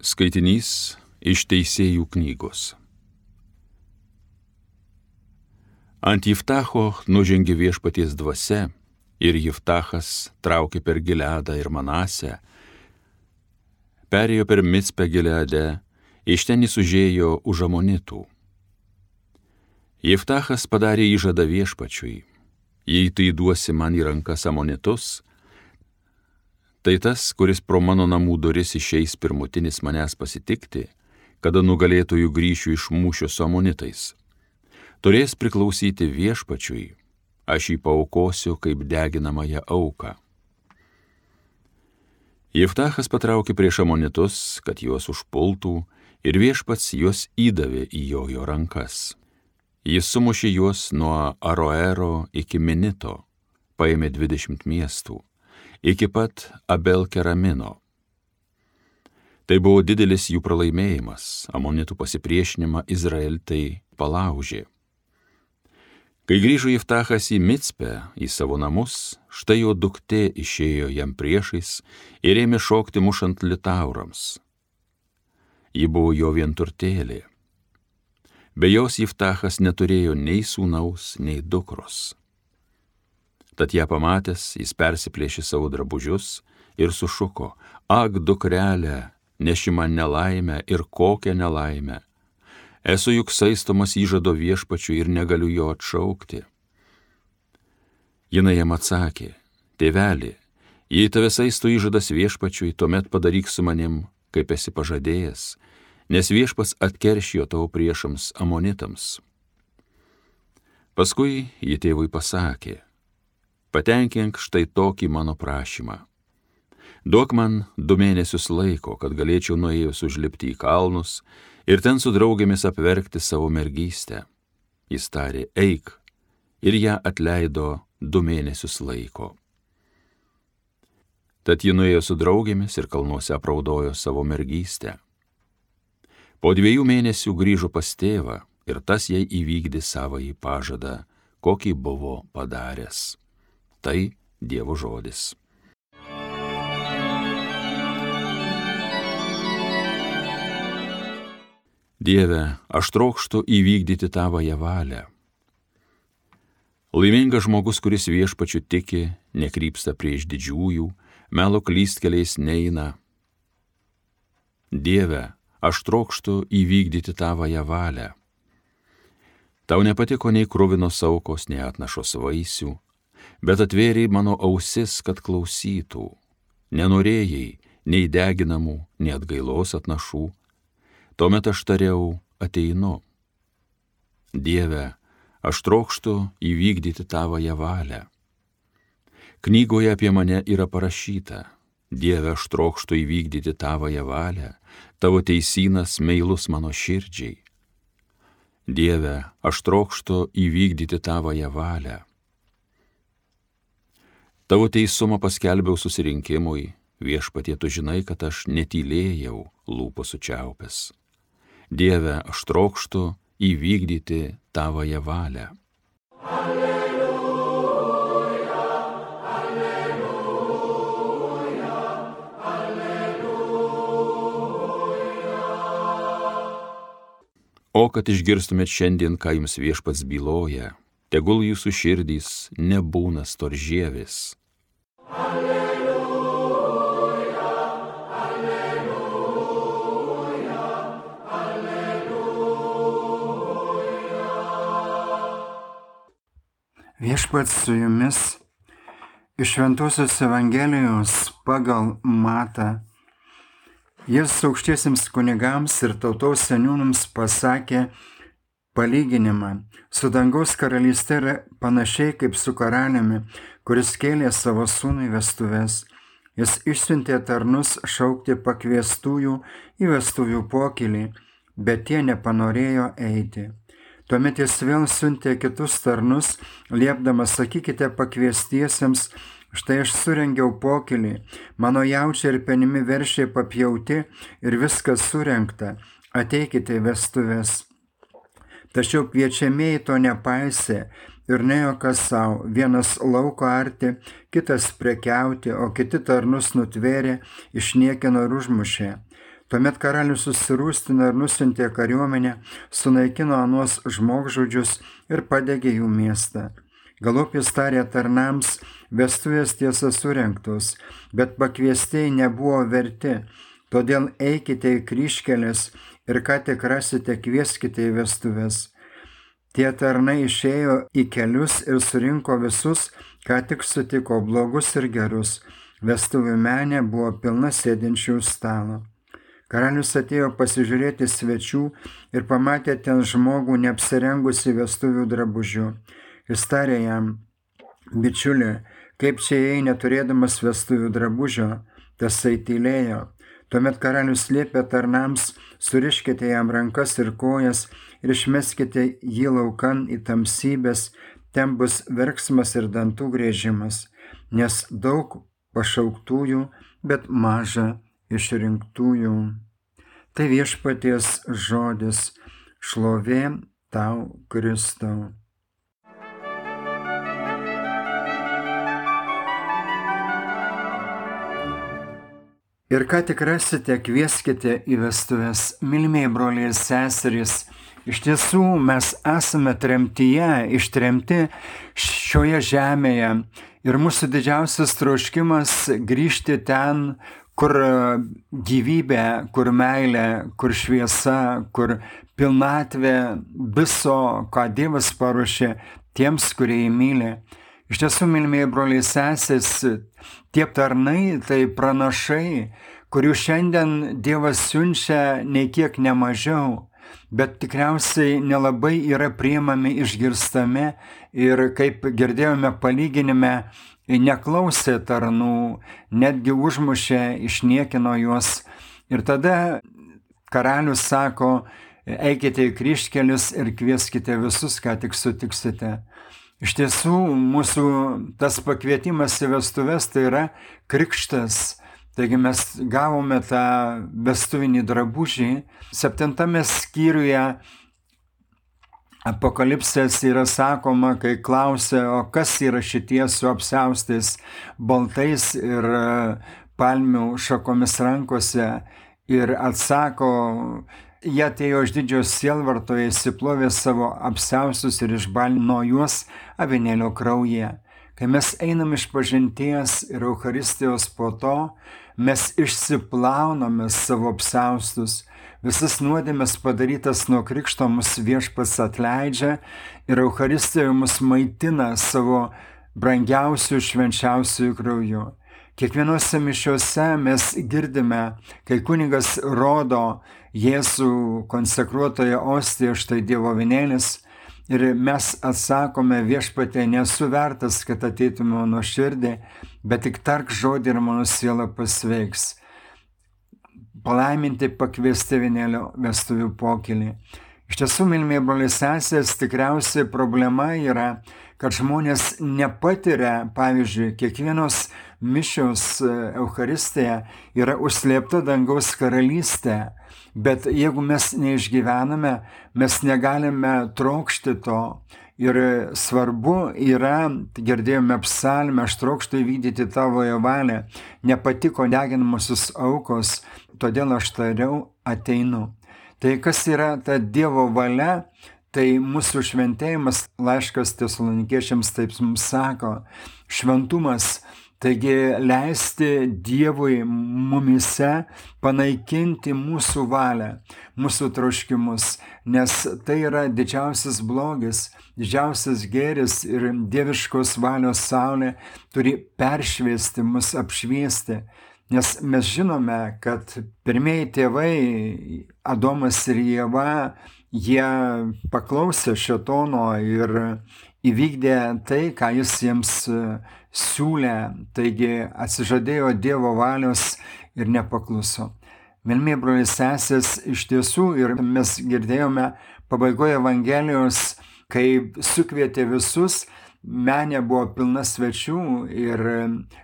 Skaitinys iš Teisėjų knygos. Ant Jiftacho nužengė Viešpaties dvasia, ir Jiftachas traukė per Gileadą ir Manasę, perėjo per Micpę Gileade, iš ten jis užėjo už Amonitų. Jiftachas padarė įžadą Viešpačiui: jei tai duosi man į rankas Amonitus, tai tas, kuris pro mano namų duris išeis pirmutinis manęs pasitikti, kada nugalėtojų grįšiu iš mūšio su Amonitais, turės priklausyti Viešpačiui, aš jį paaukosiu kaip deginamąją auką. Jiftachas patraukė prieš Amonitus, kad juos užpultų, ir Viešpats juos įdavė į jo rankas. Jis sumušė juos nuo Aroero iki Minito, paėmė 20 miestų, iki pat Abel-Keramino. Tai buvo didelis jų pralaimėjimas, Amonitų pasipriešinimą Izraelitai palaužė. Kai grįžo Jiftachas į Micpę, į savo namus, štai jo duktė išėjo jam priešais ir ėmė šokti mušant litaurams. Ji buvo jo vienturtėlė. Be jos Jiftachas neturėjo nei sūnaus, nei dukros. Tad ją pamatęs, jis persiplėšė savo drabužius ir sušuko: ak, dukrelė, neši man nelaimę, ir kokią nelaimę. Esu juk saistomas įžado Viešpačiui ir negaliu jo atšaukti. Jinai jam atsakė: tėveli, jei tave saisto įžadas Viešpačiui, tuomet padaryk su manim, kaip esi pažadėjęs, nes Viešpats atkeršijo tavo priešams Amonitams. Paskui ji tėvui pasakė: patenkink štai tokį mano prašymą. Duok man 2 mėnesius laiko, kad galėčiau nuėjus užlipti į kalnus ir ten su draugėmis apverkti savo mergystę. Jis tarė: eik, ir ją atleido 2 mėnesius laiko. Tad ji nuėjo su draugėmis ir kalnuose apraudojo savo mergystę. Po 2 mėnesių grįžo pas tėvą, ir tas jai įvykdė savąjį pažadą, kokį buvo padaręs. Tai Dievo žodis. Dieve, aš trokštu įvykdyti tavąją valią. Laimingas žmogus, kuris Viešpačiu tiki, nekrypsta prieš didžiųjų, melo klystkeliais neina. Dieve, aš trokštu įvykdyti tavąją valią. Tau nepatiko nei kruvinos aukos, nei atnašos vaisių, bet atvėrei mano ausis, kad klausytų. Nenorėjai nei deginamų, nei atgailos atnašų. Tuomet aš tariau: ateinu. Dieve, aš trokštu įvykdyti tavąją valią. Knygoje apie mane yra parašyta: Dieve, aš trokštu įvykdyti tavąją valią, tavo teisynas meilus mano širdžiai. Dieve, aš trokštu įvykdyti tavąją valią. Tavo teisumą paskelbiau susirinkimui, Viešpatie, tu žinai, kad aš netylėjau lūpų sučiaupęs. Dieve, aš trokštu įvykdyti tavąją valią. Alleluja, alleluja, alleluja. O kad išgirstumėt šiandien, ką jums Viešpats byloja, tegul jūsų širdys nebūna storžievis. Alleluja, alleluja, alleluja. Viešpats su jumis iš Šventosios Evangelijos pagal Matą. Jis aukštiesiems kunigams ir tautos seniūnams pasakė palyginimą: su dangaus karalyste yra panašiai kaip su karaliumi, kuris kėlė savo sūnui vestuves. Jis išsiuntė tarnus šaukti pakviestųjų į vestuvių pokylį, bet tie nepanorėjo eiti. Tuomet jis vėl siuntė kitus tarnus, liepdamas: sakykite pakviestiesiems, štai aš surengiau pokylį, mano jaučiai ir penimi veršiai papjauti ir viskas surengta, ateikite į vestuves. Tačiau kviečiamieji to nepaisė ir nuėjo kas savo, vienas lauko arti, kitas prekiauti, o kiti tarnus nutvėrė, išniekino ir užmušė. Tuomet karalius susirūstino ir nusintė kariuomenę, sunaikino anuos žmogžudžius ir padegė jų miestą. Galop jis tarė tarnams, vestuvės tiesa surengtos, bet pakviestieji nebuvo verti, todėl eikite į kryžkelės ir ką tik rasite, kvieskite į vestuvės. Tie tarnai išėjo į kelius ir surinko visus, ką tik sutiko, blogus ir gerus. Vestuvių menė buvo pilna sėdinčių stalo. Karalius atėjo pasižiūrėti svečių ir pamatė ten žmogų neapsirengusi vestuvių drabužių. Jis tarė jam, bičiuli, kaip čia ėjai neturėdamas vestuvių drabužio, tasai tylėjo. Tuomet karalius liepė tarnams, suriškite jam rankas ir kojas ir išmeskite jį laukan į tamsybės, ten bus verksmas ir dantų griežimas, nes daug pašauktųjų, bet maža išrinktųjų. Tai viešpaties žodis, šlovė tau, Kristau. Ir ką tik rasite, kvieskite į vestuves. Mylimieji broliai ir seserys, iš tiesų mes esame tremtyje, ištremti šioje žemėje. Ir mūsų didžiausias troškimas grįžti ten, kur gyvybė, kur meilė, kur šviesa, kur pilnatvė viso, ką Dievas paruošė tiems, kurie jį myli. Iš tiesų, mylimieji broliai sesės, tie tarnai, tai pranašai, kurių šiandien Dievas siunčia nei kiek nemažiau, bet tikriausiai nelabai yra priimami, išgirstami ir, kaip girdėjome palyginime, neklausė tarnų, netgi užmušė, išniekino juos. Ir tada karalius sako, eikite į kryžkelius ir kvieskite visus, ką tik sutiksite. Iš tiesų, mūsų tas pakvietimas į vestuves tai yra krikštas. Taigi mes gavome tą vestuvinį drabužį. 7 skyriuje Apokalipsės yra sakoma, kai klausia, o kas yra šitie su apsiaustais baltais ir palmių šakomis rankose. Ir atsako, jie atėjo iš didžiojo sielvarto, jie įsiplovė savo apsiaustus ir išbalino juos avinėlio kraujyje. Kai mes einam iš pažinties ir Eucharistijos po to, mes išsiplauname savo apsiaustus. Visas nuodėmes padarytas nuo krikšto mus viešpats atleidžia ir Eucharistijoje mus maitina savo brangiausių, švenčiausių krauju. Kiekvienose mišiose mes girdime, kai kunigas rodo Jėzų konsekruotoje ostijoje, štai Dievo avinėlis, ir mes atsakome, viešpatie, nesu vertas, kad ateitum mano širdį, bet tik tark žodį ir mano siela pasveiks. Palaiminti pakviesti avinėlio vestuvių pokylį. Iš tiesų, mylimieji broliai sesės, tikriausiai problema yra, kad žmonės nepatiria, pavyzdžiui, kiekvienos mišios Eucharistija yra užslėpta dangaus karalystė, bet jeigu mes neišgyvename, mes negalime trokšti to. Ir svarbu yra, girdėjome psalmę, aš trokštu įvykdyti tavojo valią, nepatiko deginamosios aukos, todėl aš tariau, ateinu. Tai kas yra ta Dievo valia, tai mūsų šventėjimas, laiškas Tesalonikiečiams taip mums sako, šventumas, taigi leisti Dievui mumise panaikinti mūsų valią, mūsų troškimus, nes tai yra didžiausias blogis, didžiausias gėris ir dieviškos valios saulė turi peršviesti mus, apšviesti. Nes mes žinome, kad pirmieji tėvai, Adomas ir Ieva, jie paklausė šėtono ir įvykdė tai, ką jis jiems siūlė, taigi atsižadėjo Dievo valios ir nepakluso. Mylimieji broliai sesės, iš tiesų, ir mes girdėjome pabaigoje Evangelijos, kai sukvietė visus, menė buvo pilna svečių ir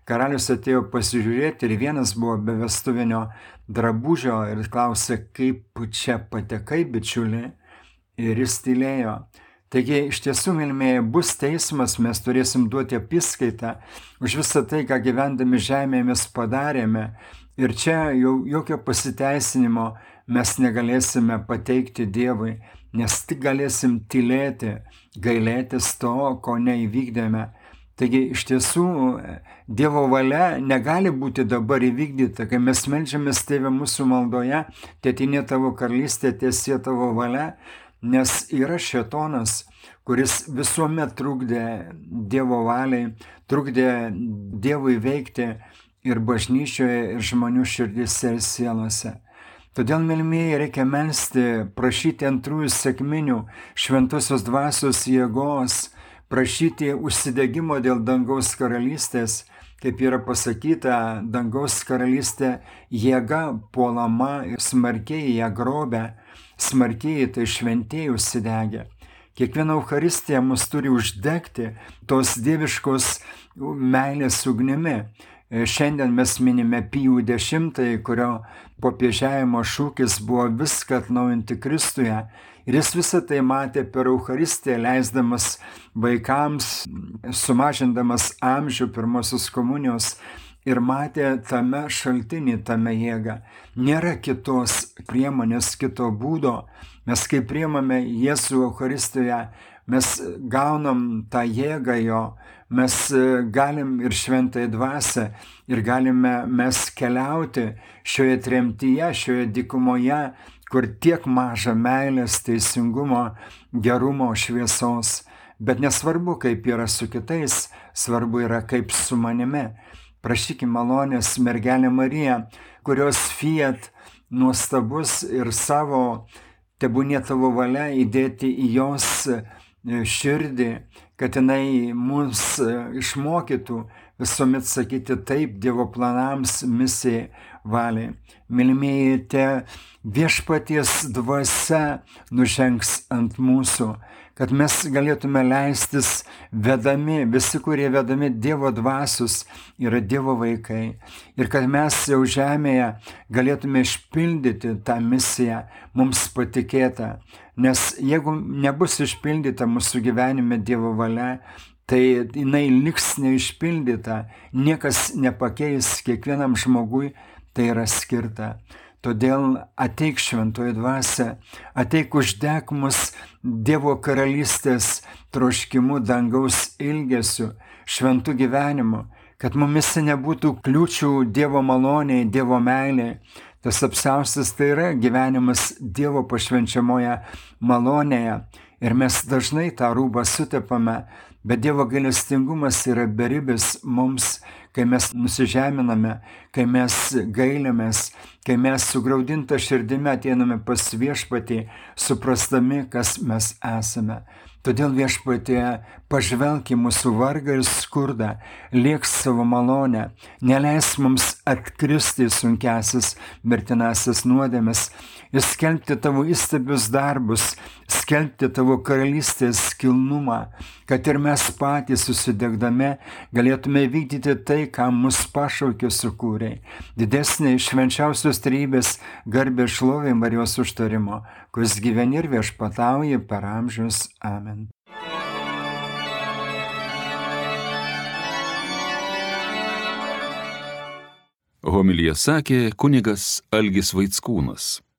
karalius atėjo pasižiūrėti ir vienas buvo be vestuvinio drabužio ir klausė, kaip čia patekai, bičiuli, ir jis tylėjo. Taigi, iš tiesų, mylimieji, bus teismas, mes turėsim duoti apskaitą už visą tai, ką gyvendami žemėje mes padarėme. Ir čia jau jokio pasiteisinimo mes negalėsime pateikti Dievui, nes tik galėsim tylėti, gailėtis to, ko neįvykdėme. Taigi iš tiesų Dievo valia negali būti dabar įvykdyta, kai mes meldžiamės Tėve mūsų maldoje, tėtinė tavo karalystė, tiesie tavo valia, nes yra šėtonas, kuris visuomet trukdė Dievo valiai, trukdė Dievui veikti ir bažnyčioje, ir žmonių širdise ir sielose. Todėl, mylimieji, reikia melsti, prašyti antrųjų sekminių šventosios dvasios jėgos, prašyti užsidegimo dėl dangaus karalystės, kaip yra pasakyta, dangaus karalystė jėga puolama ir smarkiai ją grobia, smarkiai tai šventieji užsidegė. Kiekviena Eucharistija mus turi uždegti tos dieviškos meilės ugnimi. Šiandien mes minime Pijų X, kurio popiežiavimo šūkis buvo viską atnaujinti Kristuje. Ir jis visą tai matė per Eucharistiją, leisdamas vaikams, sumažindamas amžių pirmosios komunijos ir matė tame šaltinį, tame jėgą. Nėra kitos priemonės, kito būdo. Mes kai priimame Jėzų Eucharistijoje, mes gaunam tą jėgą jo, mes galim ir šventąją dvasią ir galime mes keliauti šioje tremtyje, šioje dykumoje, kur tiek maža meilės, teisingumo, gerumo, šviesos. Bet nesvarbu, kaip yra su kitais, svarbu yra kaip su manimi. Prašykime malonės mergelę Mariją, kurios fiat nuostabus ir savo tebūnie tavo valia įdėti į jos širdį, kad jinai mus išmokytų visuomet sakyti taip Dievo planams, misijai, valiai. Mylimieji, te viešpaties dvasia nužengs ant mūsų, kad mes galėtume leistis vedami, visi, kurie vedami Dievo dvasios, yra Dievo vaikai. Ir kad mes jau žemėje galėtume išpildyti tą misiją mums patikėtą. Nes jeigu nebus išpildyta mūsų gyvenime Dievo valia, tai jinai liks neišpildyta, niekas nepakeis, kiekvienam žmogui tai yra skirta. Todėl ateik šventoji dvasia, ateik uždek mus Dievo karalystės troškimu, dangaus ilgesiu, šventų gyvenimu, kad mumise nebūtų kliūčių Dievo maloniai, Dievo meiliai. Tas apsiaustas tai yra gyvenimas Dievo pašvenčiamoje malonėje. Ir mes dažnai tą rūbą sutepame, bet Dievo gailestingumas yra beribis mums, kai mes nusižeminame, kai mes gailimės, kai mes sugraudinta širdimi ateiname pas viešpatį, suprastami, kas mes esame. Todėl viešpatie pažvelk į mūsų vargą ir skurdą, liek savo malonę, neleis mums atkristi į sunkiasis mirtinasias nuodėmes ir skelbti tavo įstabius darbus, skelbti tavo karalystės kilnumą, kad ir mes patys susidegdami galėtume vykdyti tai, ką mus pašaukė sukūrė. Didesnė švenčiausios trejybės garbė šlovė Marijos užtarimo, kuris gyveni ir viešpatauja per amžius. Amen. Homiliją sakė kunigas Algis Vaickūnas.